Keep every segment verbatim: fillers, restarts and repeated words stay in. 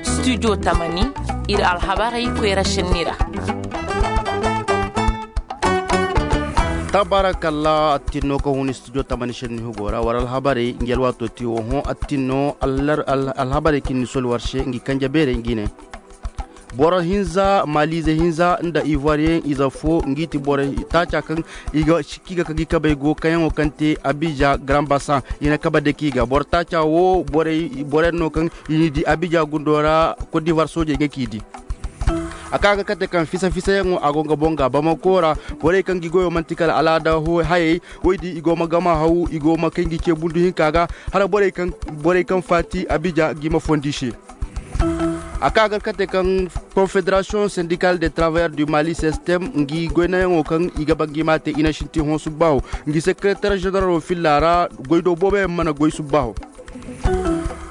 Studio tamani, ir alhabarey koyra šenni ra. Tabarakalla attinno ka hun studio tamani šenni hugo ra war alhabarey ngi alwaato ti wo hõ attinno. Alhabarey kaŋ ni soli war se ngi kanje beerey ngi ne. Boro hinza malize hinza nda ivoiriyen ize fo ngi ti boro taaca kaŋ i ga sikki ga ka gi kabey go kayaŋo kaŋ te abija garambasan i na kaba deki ga boro taaca wo borey no kaŋ i ni di abija gundo ra. Kot divar soojey ga k'i di. A ka ga kate kaŋ fisa fisayaŋo a go nga boŋ ga bamako ra. Borey kaŋ gi goyo manti kala alaada hayey woy di i go ma gama haw i go ma kay ngi ce bundu hinka ga. Hala borey kaŋ faati abija gi ma fondi se. A ka gar kate kaŋ konfederasiyoŋ sendikal de travayar du mali sistem ngi goynayaŋo kaŋ i ga ba ngi ma te i na sinti hõ subbaaho. Ngi sekereter ženeralo filla ra goy do booboyaŋ mana goy subbaaho.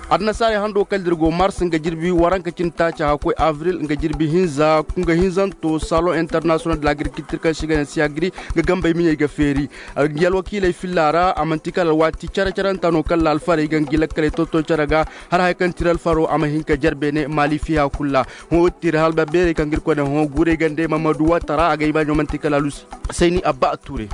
Adanasaarey hando kala da ir go mars nga jirbi waranka cindi taaca hakkoy avril nga jirbi hinza nga hinzanto salon international de l'agriculture kaŋ se i ga ne siyagri nga gambey miɲey ga feeri. Ngi alwakiiley filla ra a manti kala alwaati care caranta no kala alfarey ga ngi lakkaley tonton care ga. Har haya kaŋ ti ir alfaro a ma hin ka jarbe ne maali fiya kulu ra. Hõ wo ti ir halba beerey kaŋ ga ir koy ne hõ guurey gande mamadu waata ra a ga i baaɲo manti kala alusi. Sayni abba a tuure.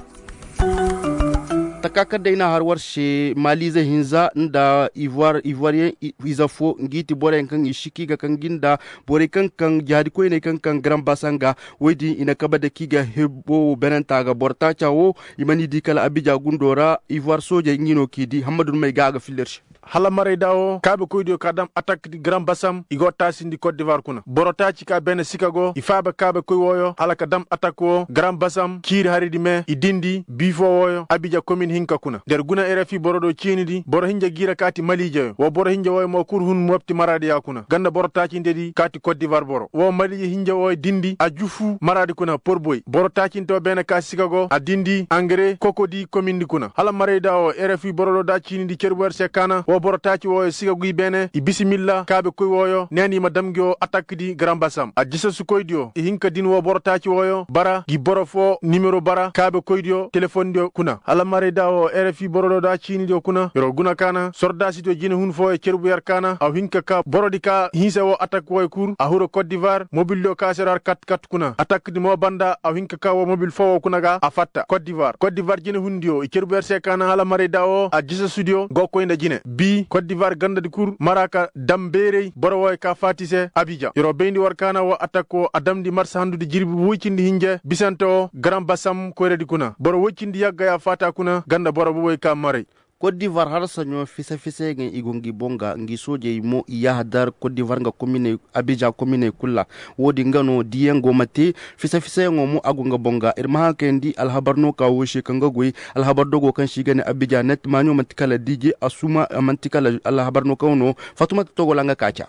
Taka kaŋ day na har war se malize hinza nda ivoiriyen ize fo ngi ti boroyaŋ kaŋ i siki ga kaŋ gi nda borey kaŋ kaŋ jihaadi koyney kaŋ kaŋ garan basa nga. Woy din i na kabe da k'i ga hebbo wo benanta ga boro taaca wo i mana i di kala abija gundo ra ivoire soojey ngi no k'i di hammadu may ga a ga filla ir se. Hala marayda wo kaabekoydiyo ka dam atak di garan basam i go taasindi kot divar kuna boro taaci ka beene sika go i faaba kaabekoy wooyo hala ka dam atak wo garan basam ciiri haridi me i dindi biifo wooyo abija komin hinka kuna der guna rfi boro do ciini di boro hinja giira kaati maliijeyo wo boro hinja wooyo mo kul hun mopti maraadiya kuna ganda boro taacinte di kaati kot divar boro wo maliije hinja wooyo dindi a jufu maraadi kuna porboy boro taacinte wo beene ka sika go a dindi angare kokodi komindi kuna hala marayda wo rfi boro do da ciini di cerbu yer se kaana wo boro taaci wooyo siga guy beene i bisimilla kaabe koy wooyo neeni i ma dam ngi wo atak di garan basam a jisasukoydiyo i hin ka din wo boro taaci wooyo bara ngi boro fo nimero bara kaabe koydiyo telefondiyo kuna hala marayda wo rfi boro do da ciinidiyo kuna yer wo guna kaana sordaasidiyo jinehun fooyo cerbu yer kaana a hin ka ka borodi ka hinsa wo atak wooyo kul a huru kot divar mobildiyo ka se ra kat kat kuna atak di mo banda a hin ka ka wo mobil fo wo kuna ga a fatta kot divar kot divar jinehundiyo i cerbu yer se kaana hala marayda wo a jisasudiyo go koy nda jine bi kot divar gandadi kul mara ka dam beerey boro wooyo ka faati se abija yer wo bayndi war kaana wo atak wo a damndi marsa handudi jirbi woy cindi hinje bisante wo garan basam koyradi kuna boro woy cindi yagga ya faata kuna ganda boro bobey ka maray. Kot divar har saɲo fisa-fisayaŋey i go ngi boŋ ga ngi soojey mo i yahadar kot divar nga kominey abija kominey kul ra. Wo-din nga no diyaŋ go ma te fisa-fisayaŋo mo a go nga boŋ ga ir ma haŋ kayandi alhabar no ka wo se kaŋ ga goy alhabar dogo kaŋ se i ga ne abija net maaɲo manti kala diije a suma manti kala alhabar no kaŋ no fatumata togo ra nga ka ca.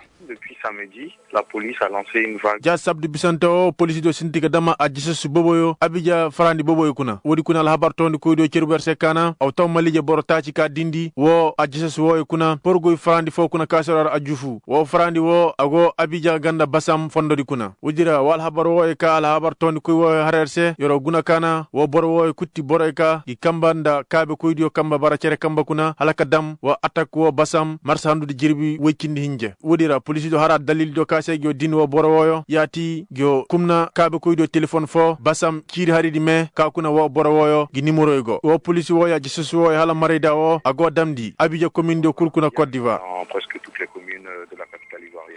Ja sabdu bisante wo poliisi do sinti ga dama a jisasu boboyo abija farandi boboyo kuna woodi kuna alhabar toondi koydiyo cerbu yer se kaana aw taw maliije boro taaci ka dindi wo a jisasu wooyo kuna porgoy farandi fo kuna ka sero har a jufu wo farandi wo a go abija ganda basam fondodi kuna woodi ra wo alhabar wooyo ka alhabar toondi koy wooyo har yer se yer wo guna kaana wo boro wooyo kul ti boroyo ka ngi kamba nda kaabe koydiyo kamba bara cere kamba kuna hala ka dam wo atak wo basam marsa handudi jirbi woy cindi hinje woodi ra poliisidiyo hara dalildiyo ka se ngi yo din wo boro wooyo yaati ngi yo kumna kaabekoydiyo telefon fo basam ciiri haridi me ka kuna wo boro wooyo ngi nimoroyo go wo poliisi wooyo a jisasu wooyo hala marayda wo a go damndi abija komindiyo kul kuna kot divar.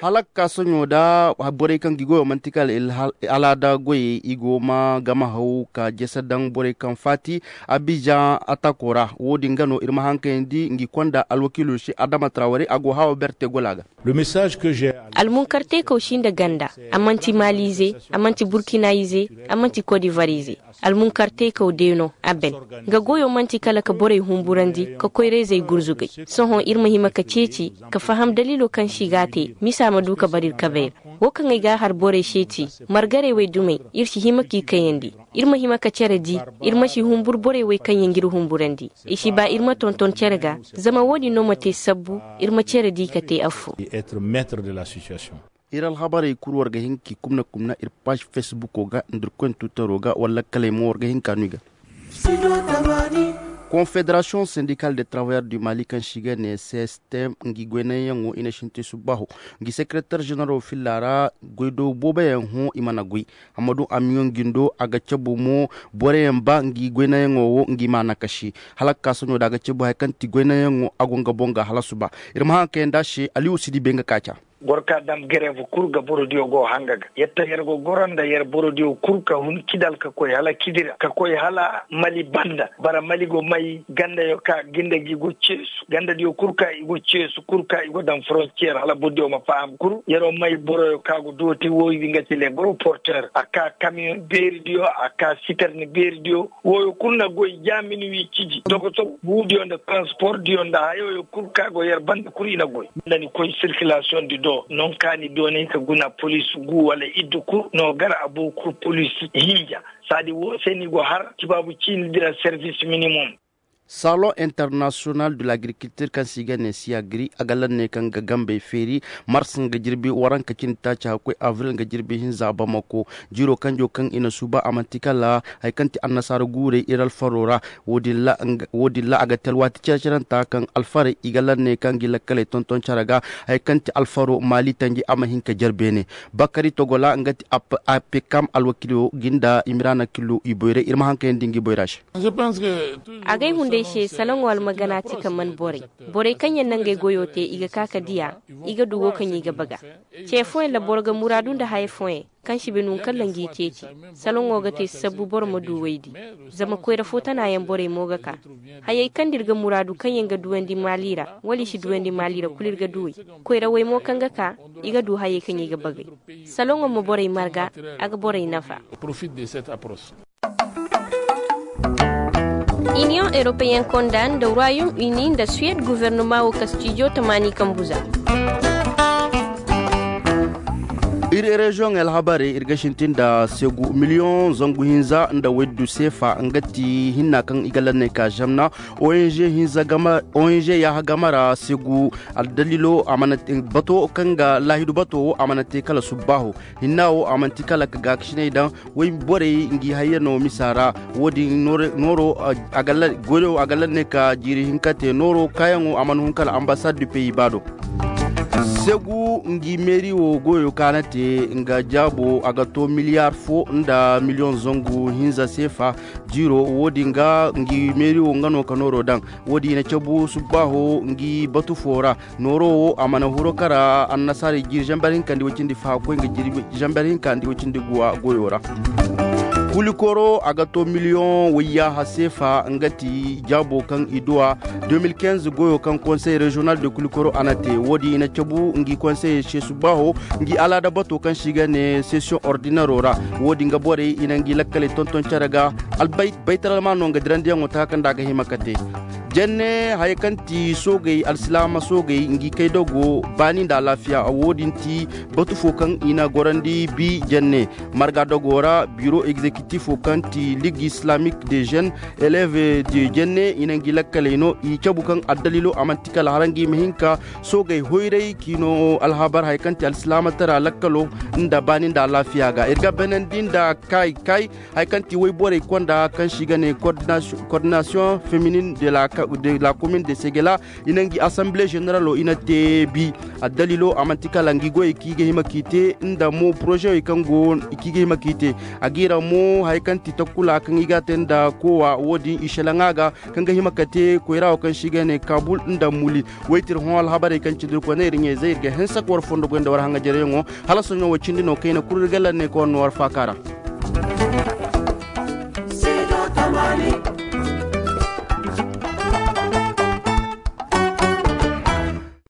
Hala ka ka soɲo nda borey kaŋ ngi goyo man'ti kala alaada goyey i go ma gama haw ka jese daŋ borey kaŋ faati abijan atako ra. Wo-din ga no ir ma haŋ kayandi ngi konda alwakiilo se adama traware a go hawa berte gola ga. Almunkarteekaw si nda ganda. A man'ti maaliize, a man'ti burkinaayize, a man'ti kodivariize. Almunkarteekaw de no a ben. Nga goyo man'ti kala ka borey humburandi ka koyra-izey gurzugay. Sohõ ir ma hima ka ceeci ka faham daliilo kaŋ se i g'a te misa ma du ka bara ir kabey ra. Wo kaŋ ay g'a har borey se ti margarey wey dumey ir si hima k'i kayandi. Ir ma hima ka cere di. Ir ma si humbur borey wey kaŋ yaŋ g'ir humburandi. I si ba ir ma tonton cere ga. Zama wo-din no ma te sabbu ir ma cere di ka te affoo. Ir alhabarey kul war ga hin k'i kumna kumna ir paaž fesbuko ga nda ir koyne twitero ga wala lakkaley mo war ga hin ka no i ga. Konfederasiyoŋ sendikal de travayar du mali kaŋ se i ga ne sestem, ngi goynayaŋo i na sinti subbaho, ngi sekereter ženeralo filla ra. Goydo booboyaŋ hõ i mana goy. Hammadu amiyoŋ jindo a ga cabu mo, boroyaŋ ba ngi goynayaŋo wo ngi ma a nakasi. Hala ga ka soɲo da a ga cabu haya kaŋ ti goynayaŋo a go nga boŋ ga hala suba. Ir ma haŋ kayandi a se aliyu si di bay nga ka ca. Boro ka daŋ gerev kul ga borodiyo go hanga ga yetta yer go goro nda yer borodiyo kul ka hun kidal ka koy hala kidira ka koy hala mali banda bara mali go may gandayo ka ginda gi go ceesu gandadiyo kul ka i go ceesu kul ka i go daŋ forontiyer hala borodiyo ma faham kul yer wo may boroyo ka go dooti woydi nga ti le goro porter a ka kamiyoŋ beeridiyo a ka siterni beeridiyo. Woyo kul na goy jaamini wi ciji dogotor buudiyo nda transportdiyo nda hayoyo kul ka go yer banda kul i na goy. Nda ni koy sirkilasiyoŋ di do non ka ni doonay ka guna polis gu wala iddu kul no gar a boo kul polis hinja. Saadi woo se ni go har tibaabu ciini dira servis minimum. Salon international de l'agriculture kaŋ se i ga ne siyagri a ga lanne kaŋ ga gambey feeri mars nga jirbi waranka cindi taaci hakkoy avril nga jirbi hinza bamako. Jiiro kanjo kaŋ i na suuba a manti kala haya kaŋ ti annasaara guurey ir alfaro ra. Wo- din ra a ga te alwaati cere-cerenta kaŋ alfarey i ga lanne kaŋ gi lakkaley tonton cere ga. Haya kaŋ ti alfaro maali tanji a ma hin ka jare beene. Bakari togola nga ti apekam alwakiilo gi nda imiraana kilo i boyray ir ma haŋ kayandi ngi boyra se. A gay hunday se saloŋo almagana ti ka man borey. Borey kaŋ yaŋ na ngey goyo te i ga ka ka diya. I ga du wo kaŋ i ga baga. Ce fooyaŋ ra boro ga muraadu nda haya fooyaŋ kaŋ si bay no nga kala ngi ceeci. Saloŋo ga te sabbu boro ma du waydi. Zama koyra fo tana yaŋ borey mo ga ka. Hayey kaŋ nda ir ga muraadu kaŋ yaŋ ga duwandi maali ra wala i si duwandi maali ra kulu ir ga duwey. Koyrawey mo kaŋ ga ka i ga du hayey kaŋ i ga bagay. Saloŋo ma borey marga. A ga borey nafa. Iniyoŋ europeyen konda nda royaume uni nda suwed guvernoma wo kastijo tamaani kambu za. Ir reziyoŋey alhabarey ir ga sintin nda segu miliyoŋ zangu hinza nda waydu seefa nga ti hinna kaŋ i ga lanney ka zamna. Ong hinza ong yaaha game ra segu. Aldaliilo a mana te bato kaŋ ga laahidu bato wo a mana te kala subbaaho. Hinna wo a manti kala ka gaakasiney daŋ. Woy borey ngi hayya no misa ra. Wo- din nooro goyo a ga lanney ka jiiri hinka te nooro kaayaŋo a mana hun kala ambasad du peyi ba do. Segu ngi meeri wo goyo ka na te nga jaabo a ga to miliyar fo nda miliyoŋ zangu hinza seefa. Jiiro wo- din ga ngi meeri wo nga no ka nooro daŋ. Wo- din i na cabu subbaaho ngi batu fo ra. Nooro wo a mana huro kara annasaarey jiiri zamber hinka nda i way cindi fahakoy nga jiiri zamber hinka nda i way cindi guwa goyo ra. Kulikoro a ga to miliyoŋ wayyaaha seefa nga ti jaabo kaŋ i duwa. De mil kinze goyo kaŋ konsey reziyonal de kulikoro a na te wo- din i na cabu ngi konseyey se subbaaho. Ngi alaada bato kaŋ se i ga ne sesiyoŋ ordinero ra. Wo- din ga borey i na ngi lakkaley tonton cere ga. Albayt baytaral ma no nga dirandiyaŋo taka kaŋ nda a ga hima ka te. Jenne haya kaŋ ti soogey alsilaama soogey ngi kay dogo baani nda alaafiya wo- din ti. Batu fo kaŋ i na gorandi bi jenne marga dogo ra biro egzekitif fo kaŋ ti ligue islamik de jeune. Eleve de jenne i na ngi lakkaley no i cabu kaŋ addaliilo a manti kala hara ngi ma hin ka soogey hoyray k'i no alhabar haya kaŋ ti alsilaama tara lakkalo. Nda baani nda alaafiya ga ir ga benandi nda kay kay. Haya kaŋ ti woy borey konda kaŋ se i ga ne kordinasiyoŋ feminin de la komin de segela. I na ngi asanbile ženeralo i na te bi. Addaliilo a manti kala ngi goyey kaŋ i ga hima k'i te nda mo porozewey kaŋ go kaŋ i ga hima k'i te. A g'i ra mo haya kaŋ ti takkula kaŋ i ga a te nda koowa wo- din i šelaŋa ga. Kaŋ ga hima ka te koyra wo kaŋ se i ga ne kabul nda muli. Woy ti ir hõ alhabarey kaŋ cindi ir koy ne ir ɲayzey ir ga hanse ka war fondo goy nda war haŋajaryaŋo. Hala sohõ wo cindi no kayna kulu ir ga lanne ka war no war faaka ra.